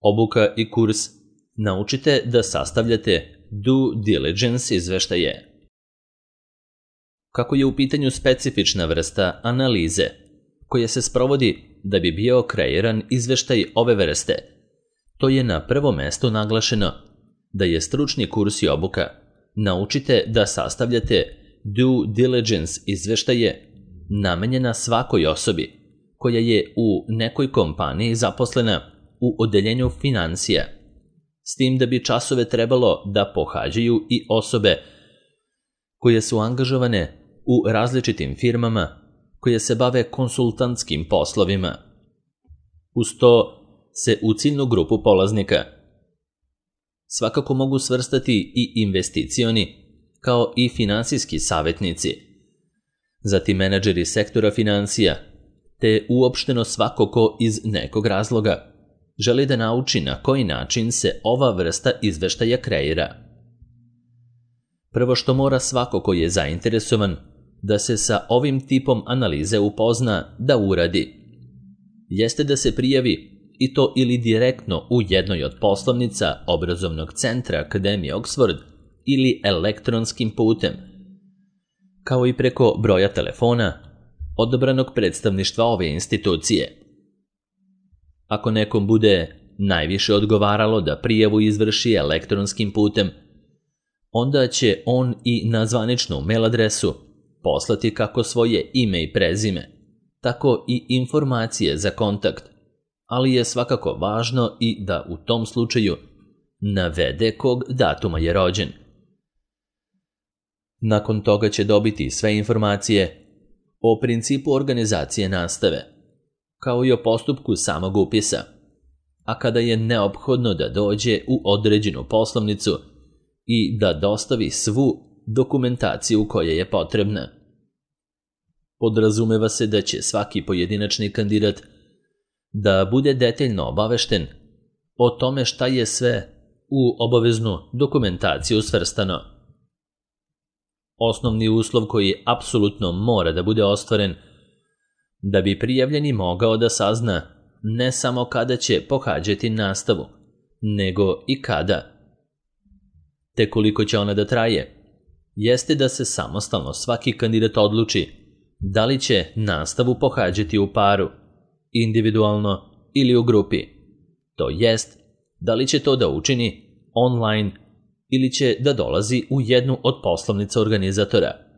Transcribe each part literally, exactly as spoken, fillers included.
Obuka i kurs Naučite da sastavljate due diligence izveštaje. Kako je u pitanju specifična vrsta analize koja se sprovodi da bi bio kreiran izveštaj ove vrste, to je na prvom mestu naglašeno da je stručni kurs i obuka Naučite da sastavljate due diligence izveštaje namenjena svakoj osobi koja je u nekoj kompaniji zaposlena u odeljenju financija, s tim da bi časove trebalo da pohađaju i osobe koje su angažovane u različitim firmama koje se bave konsultantskim poslovima. Uz to se u ciljnu grupu polaznika svakako mogu svrstati i investicioni kao i finansijski savjetnici, zatim menadžeri sektora financija, te uopšteno svako ko iz nekog razloga želi da nauči na koji način se ova vrsta izveštaja kreira. Prvo što mora svako ko je zainteresovan da se sa ovim tipom analize upozna da uradi, jeste da se prijavi i to ili direktno u jednoj od poslovnica obrazovnog centra Akademije Oxford ili elektronskim putem, kao i preko broja telefona odabranog predstavništva ove institucije. Ako nekom bude najviše odgovaralo da prijavu izvrši elektronskim putem, onda će on i na zvaničnu mail adresu poslati kako svoje ime i prezime, tako i informacije za kontakt, ali je svakako važno i da u tom slučaju navede kog datuma je rođen. Nakon toga će dobiti sve informacije o principu organizacije nastave, kao i o postupku samog upisa, a kada je neophodno da dođe u određenu poslovnicu i da dostavi svu dokumentaciju koja je potrebna. Podrazumeva se da će svaki pojedinačni kandidat da bude detaljno obavešten o tome šta je sve u obaveznu dokumentaciju svrstano. Osnovni uslov koji apsolutno mora da bude ostvaren da bi prijavljeni mogao da sazna ne samo kada će pohađati nastavu, nego i kada, te koliko će ona da traje, jeste da se samostalno svaki kandidat odluči da li će nastavu pohađati u paru, individualno ili u grupi, to jest da li će to da učini online ili će da dolazi u jednu od poslovnica organizatora,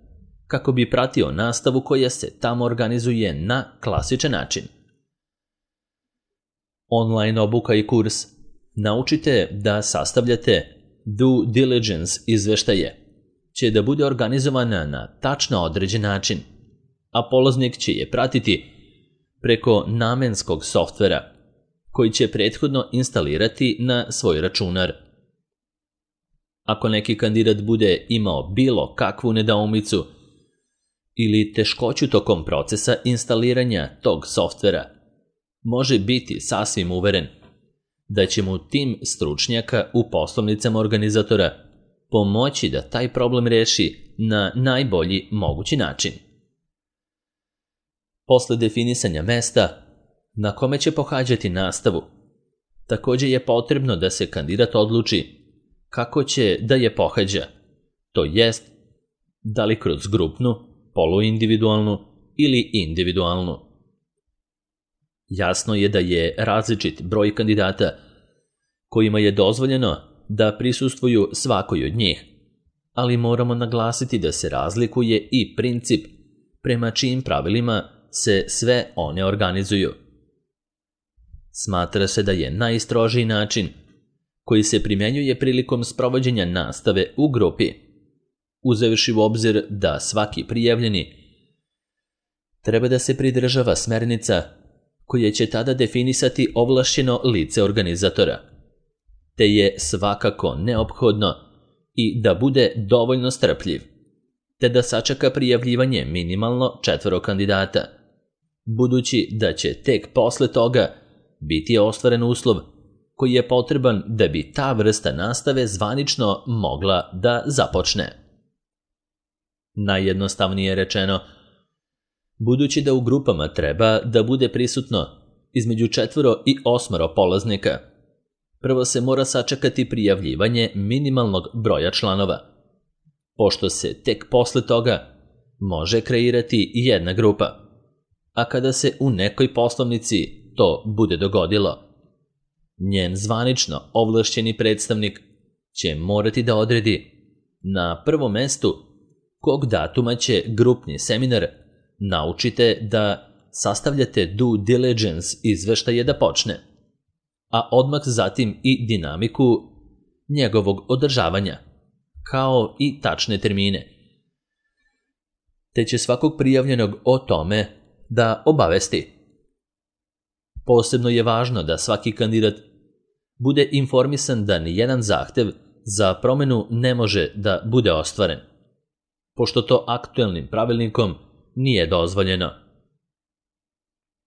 kako bi pratio nastavu koja se tamo organizuje na klasičan način. Online obuka i kurs Naučite da sastavljate due diligence izveštaje će da bude organizovana na tačno određen način, a polaznik će je pratiti preko namenskog softvera koji će prethodno instalirati na svoj računar. Ako neki kandidat bude imao bilo kakvu nedoumicu ili teškoću tokom procesa instaliranja tog softvera, može biti sasvim uveren da će mu tim stručnjaka u poslovnicama organizatora pomoći da taj problem reši na najbolji mogući način. Posle definisanja mesta na kome će pohađati nastavu, također je potrebno da se kandidat odluči kako će da je pohađa, to jest da li kroz grupnu, poluindividualnu ili individualnu. Jasno je da je različit broj kandidata kojima je dozvoljeno da prisustvuju svakoj od njih, ali moramo naglasiti da se razlikuje i princip prema čijim pravilima se sve one organizuju. Smatra se da je najstrožiji način koji se primjenjuje prilikom sprovođenja nastave u grupi, uzevši u obzir da svaki prijavljeni treba da se pridržava smernica koje će tada definisati ovlašćeno lice organizatora, te je svakako neophodno i da bude dovoljno strpljiv, te da sačeka prijavljivanje minimalno četvoro kandidata, budući da će tek posle toga biti ostvaren uslov koji je potreban da bi ta vrsta nastave zvanično mogla da započne. Najjednostavnije rečeno, budući da u grupama treba da bude prisutno između četvoro i osmoro polaznika, prvo se mora sačekati prijavljivanje minimalnog broja članova, pošto se tek posle toga može kreirati jedna grupa, a kada se u nekoj poslovnici to bude dogodilo, njen zvanično ovlašćeni predstavnik će morati da odredi na prvom mestu kog datuma će grupni seminar naučite da sastavljate due diligence izveštaje da počne, a odmah zatim i dinamiku njegovog održavanja, kao i tačne termine, te će svakog prijavljenog o tome da obavesti. Posebno je važno da svaki kandidat bude informisan da nijedan zahtev za promenu ne može da bude ostvaren, pošto to aktuelnim pravilnikom nije dozvoljeno.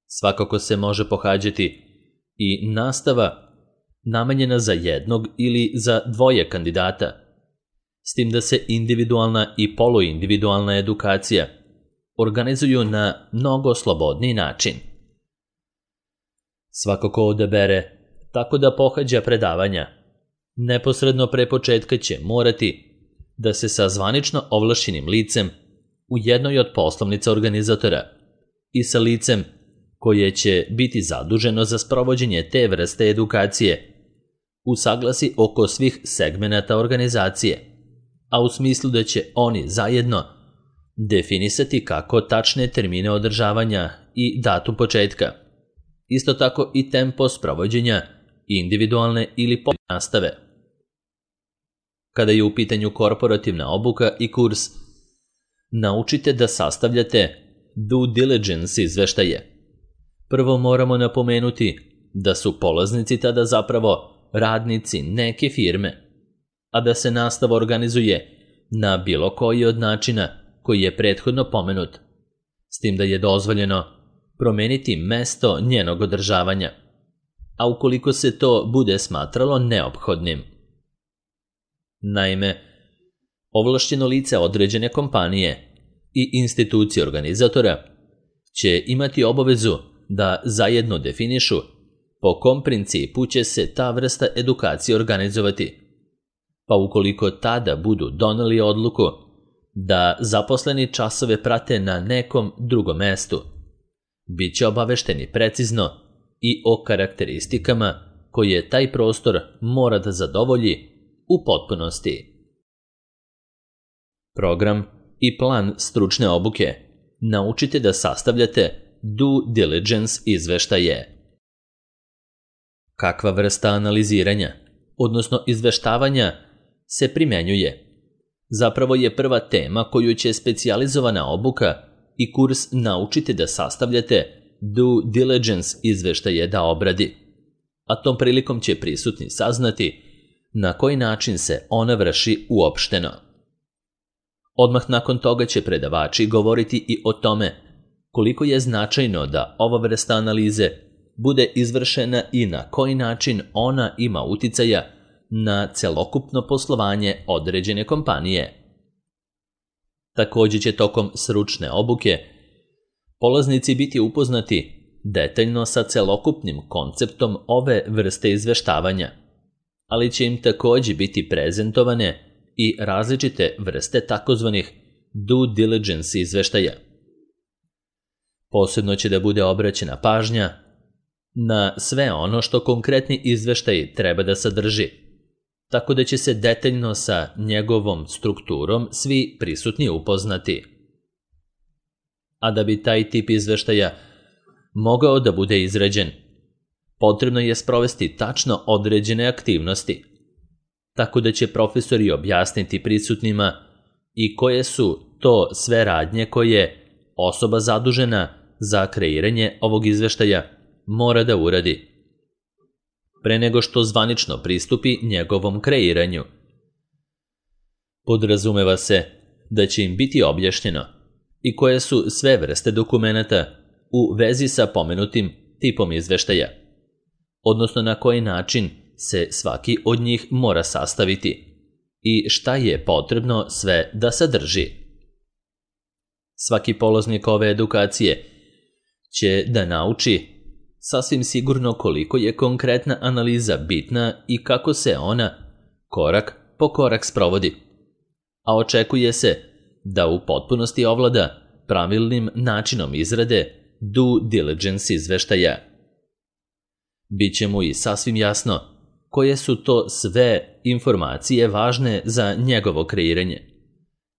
Svakako se može pohađati i nastava namenjena za jednog ili za dvoje kandidata, s tim da se individualna i poluindividualna edukacija organizuju na mnogo slobodniji način. Svako ko odabere tako da pohađa predavanja, neposredno pre početka će morati da se sa zvanično ovlašćenim licem u jednoj od poslovnica organizatora i sa licem koje će biti zaduženo za sprovođenje te vrste edukacije usaglasi oko svih segmenata organizacije, a u smislu da će oni zajedno definisati kako tačne termine održavanja i datum početka, isto tako i tempo sprovođenja individualne ili pojedine nastave. Kada je u pitanju korporativna obuka i kurs, naučite da sastavljate due diligence izveštaje. Prvo moramo napomenuti da su polaznici tada zapravo radnici neke firme, a da se nastava organizuje na bilo koji od načina koji je prethodno pomenut, s tim da je dozvoljeno promeniti mesto njenog održavanja, a ukoliko se to bude smatralo neophodnim. Naime, ovlašćeno lice određene kompanije i institucije organizatora će imati obavezu da zajedno definišu po kom principu će se ta vrsta edukacije organizovati, pa ukoliko tada budu doneli odluku da zaposleni časove prate na nekom drugom mestu, bit će obavešteni precizno i o karakteristikama koje taj prostor mora da zadovolji u potpunosti. Program i plan stručne obuke naučite da sastavljate due diligence izveštaje. Kakva vrsta analiziranja, odnosno izveštavanja, se primenjuje? Zapravo je prva tema koju će specijalizovana obuka i kurs naučite da sastavljate due diligence izveštaje da obradi, a tom prilikom će prisutni saznati na koji način se ona vrši uopšteno. Odmah nakon toga će predavači govoriti i o tome koliko je značajno da ova vrsta analize bude izvršena i na koji način ona ima uticaja na celokupno poslovanje određene kompanije. Također će tokom stručne obuke polaznici biti upoznati detaljno sa celokupnim konceptom ove vrste izveštavanja, ali će im također biti prezentovane i različite vrste takozvanih due diligence izveštaja. Posebno će da bude obraćena pažnja na sve ono što konkretni izveštaj treba da sadrži, tako da će se detaljno sa njegovom strukturom svi prisutni upoznati. A da bi taj tip izveštaja mogao da bude izrađen, potrebno je sprovesti tačno određene aktivnosti, tako da će profesori objasniti prisutnima i koje su to sve radnje koje osoba zadužena za kreiranje ovog izveštaja mora da uradi pre nego što zvanično pristupi njegovom kreiranju. Podrazumeva se da će im biti objašnjeno i koje su sve vrste dokumenata u vezi sa pomenutim tipom izveštaja, odnosno na koji način se svaki od njih mora sastaviti i šta je potrebno sve da sadrži. Svaki polaznik ove edukacije će da nauči sasvim sigurno koliko je konkretna analiza bitna i kako se ona korak po korak sprovodi, a očekuje se da u potpunosti ovlada pravilnim načinom izrade due diligence izveštaja. Biće mu i sasvim jasno koje su to sve informacije važne za njegovo kreiranje,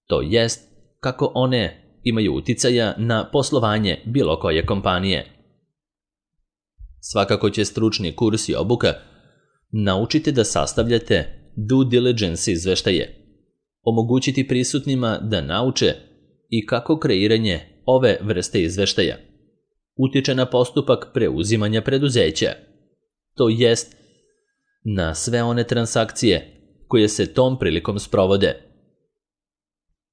to jest kako one imaju uticaja na poslovanje bilo koje kompanije. Svakako će stručni kurs i obuka naučiti da sastavljate due diligence izveštaje, omogućiti prisutnima da nauče i kako kreiranje ove vrste izveštaja utiče na postupak preuzimanja preduzeća, to jest na sve one transakcije koje se tom prilikom sprovode.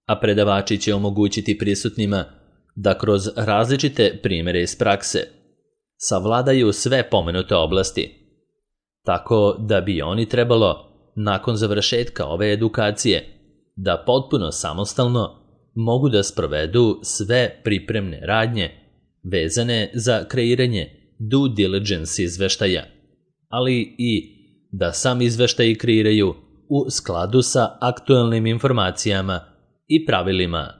A predavači će omogućiti prisutnima da kroz različite primjere iz prakse savladaju sve pomenute oblasti, tako da bi oni trebalo, nakon završetka ove edukacije, da potpuno samostalno mogu da sprovedu sve pripremne radnje vezane za kreiranje due diligence izveštaja, ali i da sam izveštaj kreiraju u skladu sa aktuelnim informacijama i pravilima.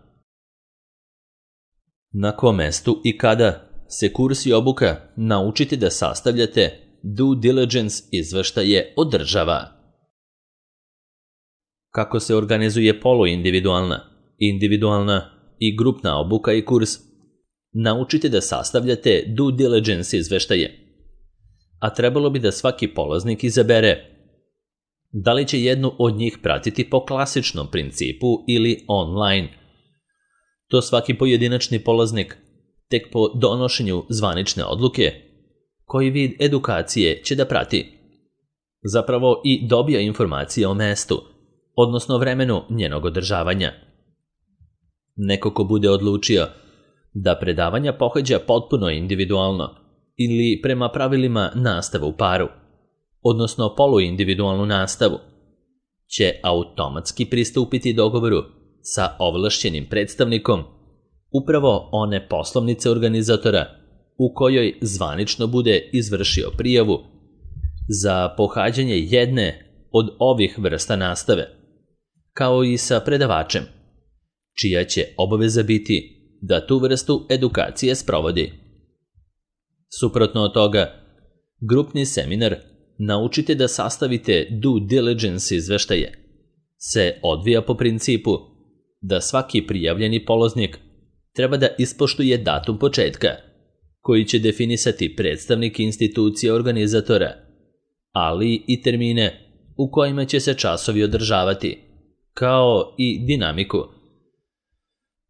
Na kom mestu i kada se kurs i obuka naučiti da sastavljate due diligence izveštaje održava? Kako se organizuje poluindividualna, individualna i grupna obuka i kurs? Naučite da sastavljate due diligence izveštaje, a trebalo bi da svaki polaznik izabere da li će jednu od njih pratiti po klasičnom principu ili online. To svaki pojedinačni polaznik tek po donošenju zvanične odluke koji vid edukacije će da prati. Zapravo i dobija informacije o mestu, odnosno vremenu njenog održavanja. Neko ko bude odlučio da predavanja pohađa potpuno individualno ili prema pravilima nastave u paru, odnosno poluindividualnu nastavu, će automatski pristupiti dogovoru sa ovlašćenim predstavnikom upravo one poslovnice organizatora u kojoj zvanično bude izvršio prijavu za pohađanje jedne od ovih vrsta nastave, kao i sa predavačem, čija će obaveza biti da tu vrstu edukacije sprovodi. Suprotno od toga, grupni seminar Naučite da sastavite due diligence izveštaje se odvija po principu da svaki prijavljeni polaznik treba da ispoštuje datum početka, koji će definisati predstavnik institucije organizatora, ali i termine u kojima će se časovi održavati, kao i dinamiku,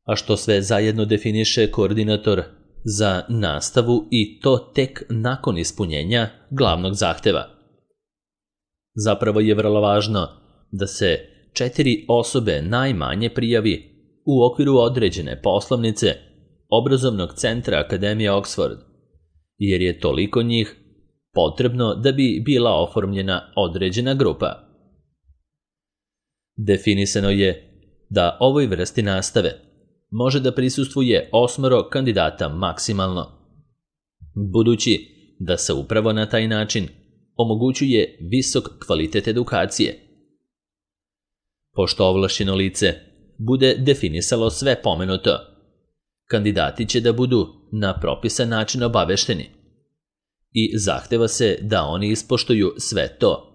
a što sve zajedno definiše koordinator za nastavu i to tek nakon ispunjenja glavnog zahteva. Zapravo je vrlo važno da se četiri osobe najmanje prijavi u okviru određene poslovnice obrazovnog centra Akademije Oxford, jer je toliko njih potrebno da bi bila oformljena određena grupa. Definisano je da ovoj vrsti nastave može da prisustvuje osmoro kandidata maksimalno, budući da se upravo na taj način omogućuje visok kvalitet edukacije. Pošto ovlašćeno lice bude definisalo sve pomenuto, kandidati će da budu na propisan način obavešteni i zahteva se da oni ispoštuju sve to,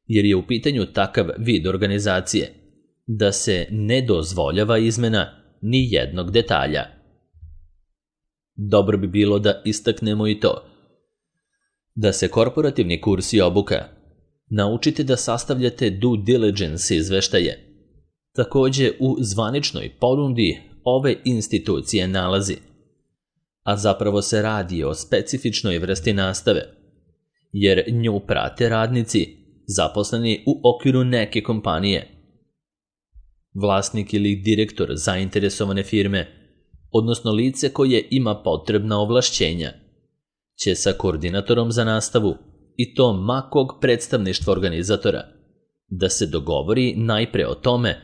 jer je u pitanju takav vid organizacije da se ne dozvoljava izmena ni jednog detalja. Dobro bi bilo da istaknemo i to da se korporativni kurs i obuka naučite da sastavljate due diligence izveštaje takođe u zvaničnoj ponudi ove institucije nalazi, a zapravo se radi o specifičnoj vrsti nastave, jer nju prate radnici zaposleni u okviru neke kompanije. Vlasnik ili direktor zainteresovane firme, odnosno lice koje ima potrebna ovlašćenja, će sa koordinatorom za nastavu i to ma kog predstavništva organizatora da se dogovori najpre o tome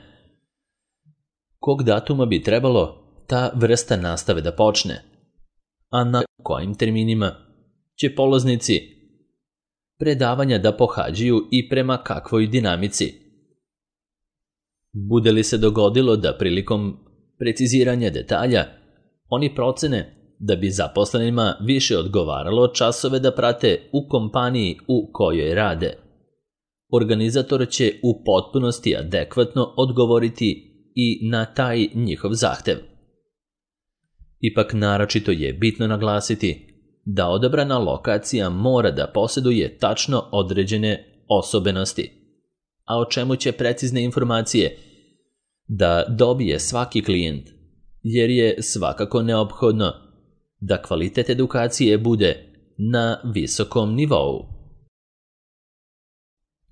kog datuma bi trebalo ta vrsta nastave da počne, a na kojim terminima će polaznici predavanja da pohađaju i prema kakvoj dinamici. Bude li se dogodilo da prilikom preciziranja detalja oni procene da bi zaposlenima više odgovaralo časove da prate u kompaniji u kojoj rade, organizator će u potpunosti adekvatno odgovoriti i na taj njihov zahtev. Ipak naročito je bitno naglasiti da odabrana lokacija mora da posjeduje tačno određene osobenosti, a o čemu će precizne informacije da dobije svaki klijent, jer je svakako neophodno da kvalitet edukacije bude na visokom nivou.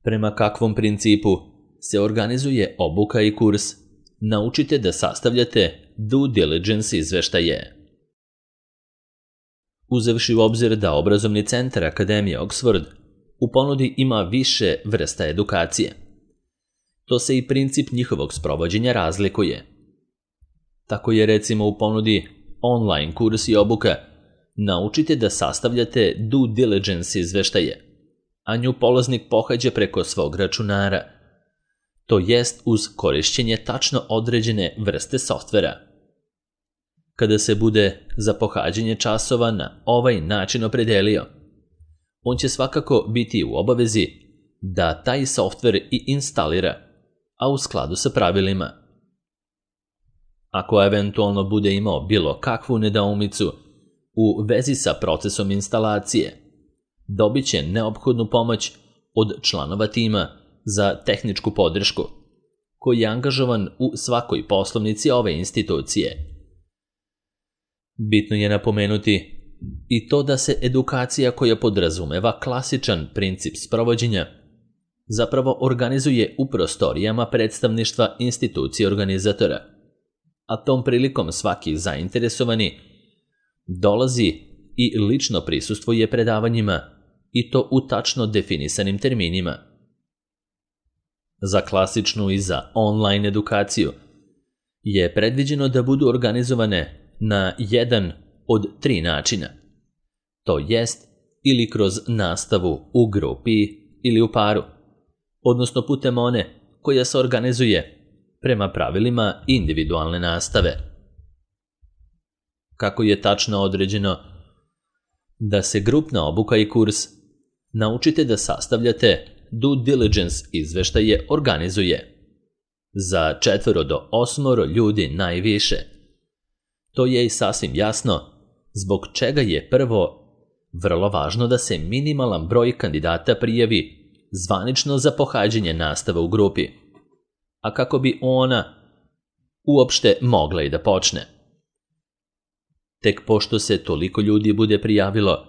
Prema kakvom principu se organizuje obuka i kurs, naučite da sastavljate due diligence izveštaje. Uzevši u obzir da obrazovni centar Akademije Oxford u ponudi ima više vrsta edukacije, to se i princip njihovog sprovođenja razlikuje. Tako je recimo u ponudi online kurs i obuka naučite da sastavljate due diligence izveštaje, a nju polaznik pohađa preko svog računara, to jest uz korišćenje tačno određene vrste softvera. Kada se bude za pohađanje časova na ovaj način opredelio, on će svakako biti u obavezi da taj softver i instalira, a u skladu sa pravilima. Ako eventualno bude imao bilo kakvu nedoumicu u vezi sa procesom instalacije, dobit će neophodnu pomoć od članova tima za tehničku podršku, koji je angažovan u svakoj poslovnici ove institucije. Bitno je napomenuti i to da se edukacija koja podrazumeva klasičan princip sprovođenja zapravo organizuje u prostorijama predstavništva institucije organizatora, a tom prilikom svaki zainteresovani dolazi i lično prisustvuje predavanjima i to u tačno definisanim terminima. Za klasičnu i za online edukaciju je predviđeno da budu organizovane na jedan od tri načina, to jest ili kroz nastavu u grupi ili u paru, odnosno putem one koja se organizuje prema pravilima individualne nastave. Kako je tačno određeno da se grupna obuka i kurs naučite da sastavljate due diligence izveštaje organizuje za četvoro do osmoro ljudi najviše. To je i sasvim jasno zbog čega je prvo vrlo važno da se minimalan broj kandidata prijavi zvanično za pohađanje nastave u grupi, a kako bi ona uopšte mogla i da počne. Tek pošto se toliko ljudi bude prijavilo,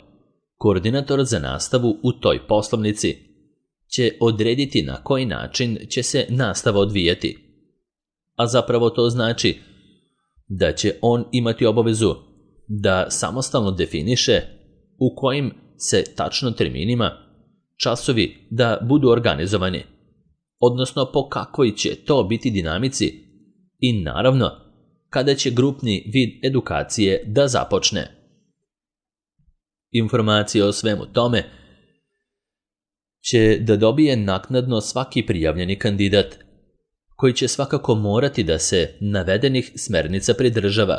koordinator za nastavu u toj poslovnici će odrediti na koji način će se nastava odvijati, a zapravo to znači da će on imati obavezu da samostalno definiše u kojim se tačno terminima časovi da budu organizovani, odnosno po kakvoj će to biti dinamici i naravno kada će grupni vid edukacije da započne. Informacije o svemu tome će da dobije naknadno svaki prijavljeni kandidat, koji će svakako morati da se navedenih smernica pridržava,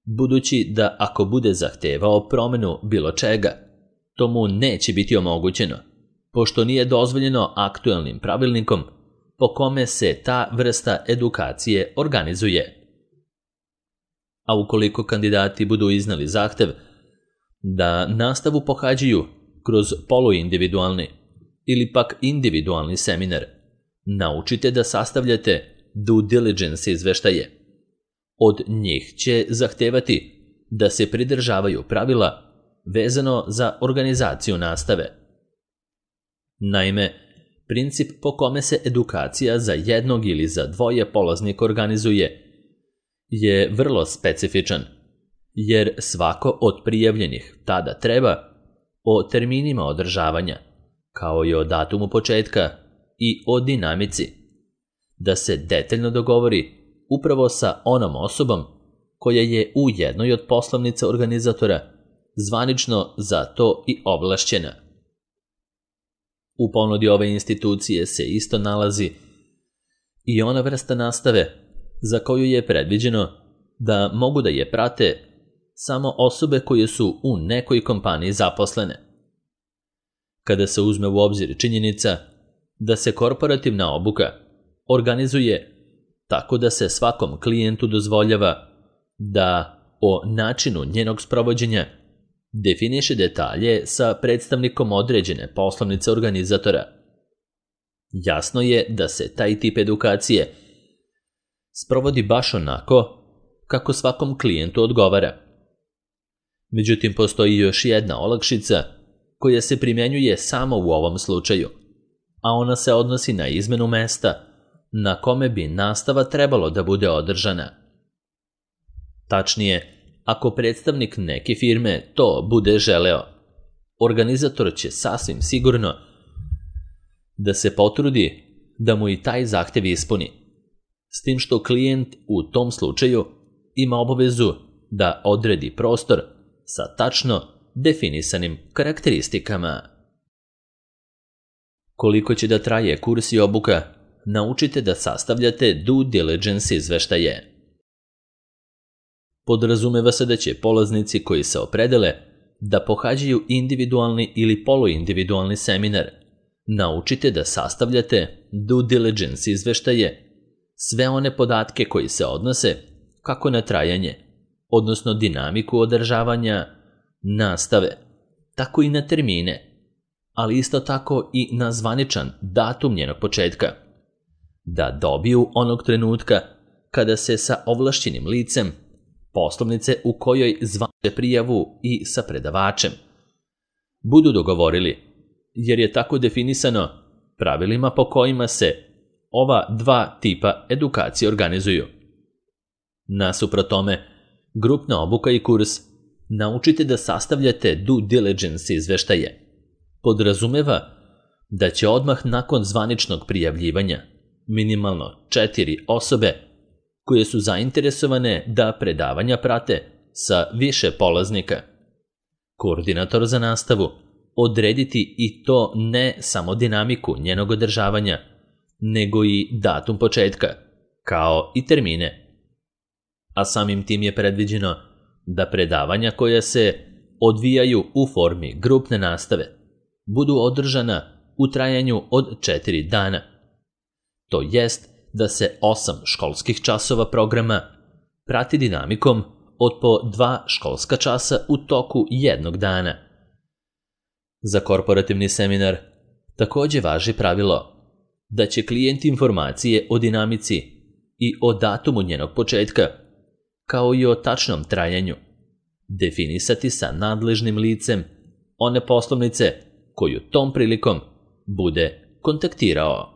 budući da ako bude zahtevao promenu bilo čega, to mu neće biti omogućeno, pošto nije dozvoljeno aktuelnim pravilnikom po kome se ta vrsta edukacije organizuje. A ukoliko kandidati budu iznali zahtev da nastavu pohađaju kroz poluindividualni ili pak individualni seminar, naučite da sastavljate due diligence izveštaje. Od njih će zahtevati da se pridržavaju pravila vezano za organizaciju nastave. Naime, princip po kome se edukacija za jednog ili za dvoje polaznika organizuje je vrlo specifičan, jer svako od prijavljenih tada treba o terminima održavanja, kao i o datumu početka i o dinamici, da se detaljno dogovori upravo sa onom osobom koja je u jednoj od poslovnica organizatora zvanično za to i ovlašćena. U ponudi ove institucije se isto nalazi i ona vrsta nastave za koju je predviđeno da mogu da je prate samo osobe koje su u nekoj kompaniji zaposlene. Kada se uzme u obzir činjenica da se korporativna obuka organizuje tako da se svakom klijentu dozvoljava da o načinu njenog sprovođenja definiše detalje sa predstavnikom određene poslovnice organizatora, jasno je da se taj tip edukacije sprovodi baš onako kako svakom klijentu odgovara. Međutim, postoji još jedna olakšica koja se primjenjuje samo u ovom slučaju, a ona se odnosi na izmenu mesta na kome bi nastava trebalo da bude održana. Tačnije, ako predstavnik neke firme to bude želeo, organizator će sasvim sigurno da se potrudi da mu i taj zahtev ispuni, s tim što klijent u tom slučaju ima obavezu da odredi prostor sa tačno definisanim karakteristikama. Koliko će da traje kurs i obuka, naučite da sastavljate due diligence izveštaje. Podrazumeva se da će polaznici koji se opredele da pohađaju individualni ili poluindividualni seminar, naučite da sastavljate due diligence izveštaje, sve one podatke koji se odnose kako na trajanje, odnosno dinamiku održavanja nastave, tako i na termine, ali isto tako i na zvaničan datum njenog početka, da dobiju onog trenutka kada se sa ovlašćenim licem poslovnice u kojoj zvane prijavu i sa predavačem budu dogovorili, jer je tako definisano pravilima po kojima se ova dva tipa edukacije organizuju. Nasuprot tome, grupna obuka i kurs naučite da sastavljate due diligence izveštaje podrazumeva da će odmah nakon zvaničnog prijavljivanja minimalno četiri osobe koje su zainteresovane da predavanja prate sa više polaznika, koordinator za nastavu, odrediti i to ne samo dinamiku njenog održavanja, nego i datum početka, kao i termine. A samim tim je predviđeno da predavanja koja se odvijaju u formi grupne nastave budu održana u trajanju od četiri dana. To jest da se osam školskih časova programa prati dinamikom od po dva školska časa u toku jednog dana. Za korporativni seminar takođe važi pravilo da će klijent informacije o dinamici i o datumu njenog početka, kao i o tačnom trajanju, definisati sa nadležnim licem one poslovnice koju tom prilikom bude kontaktirao.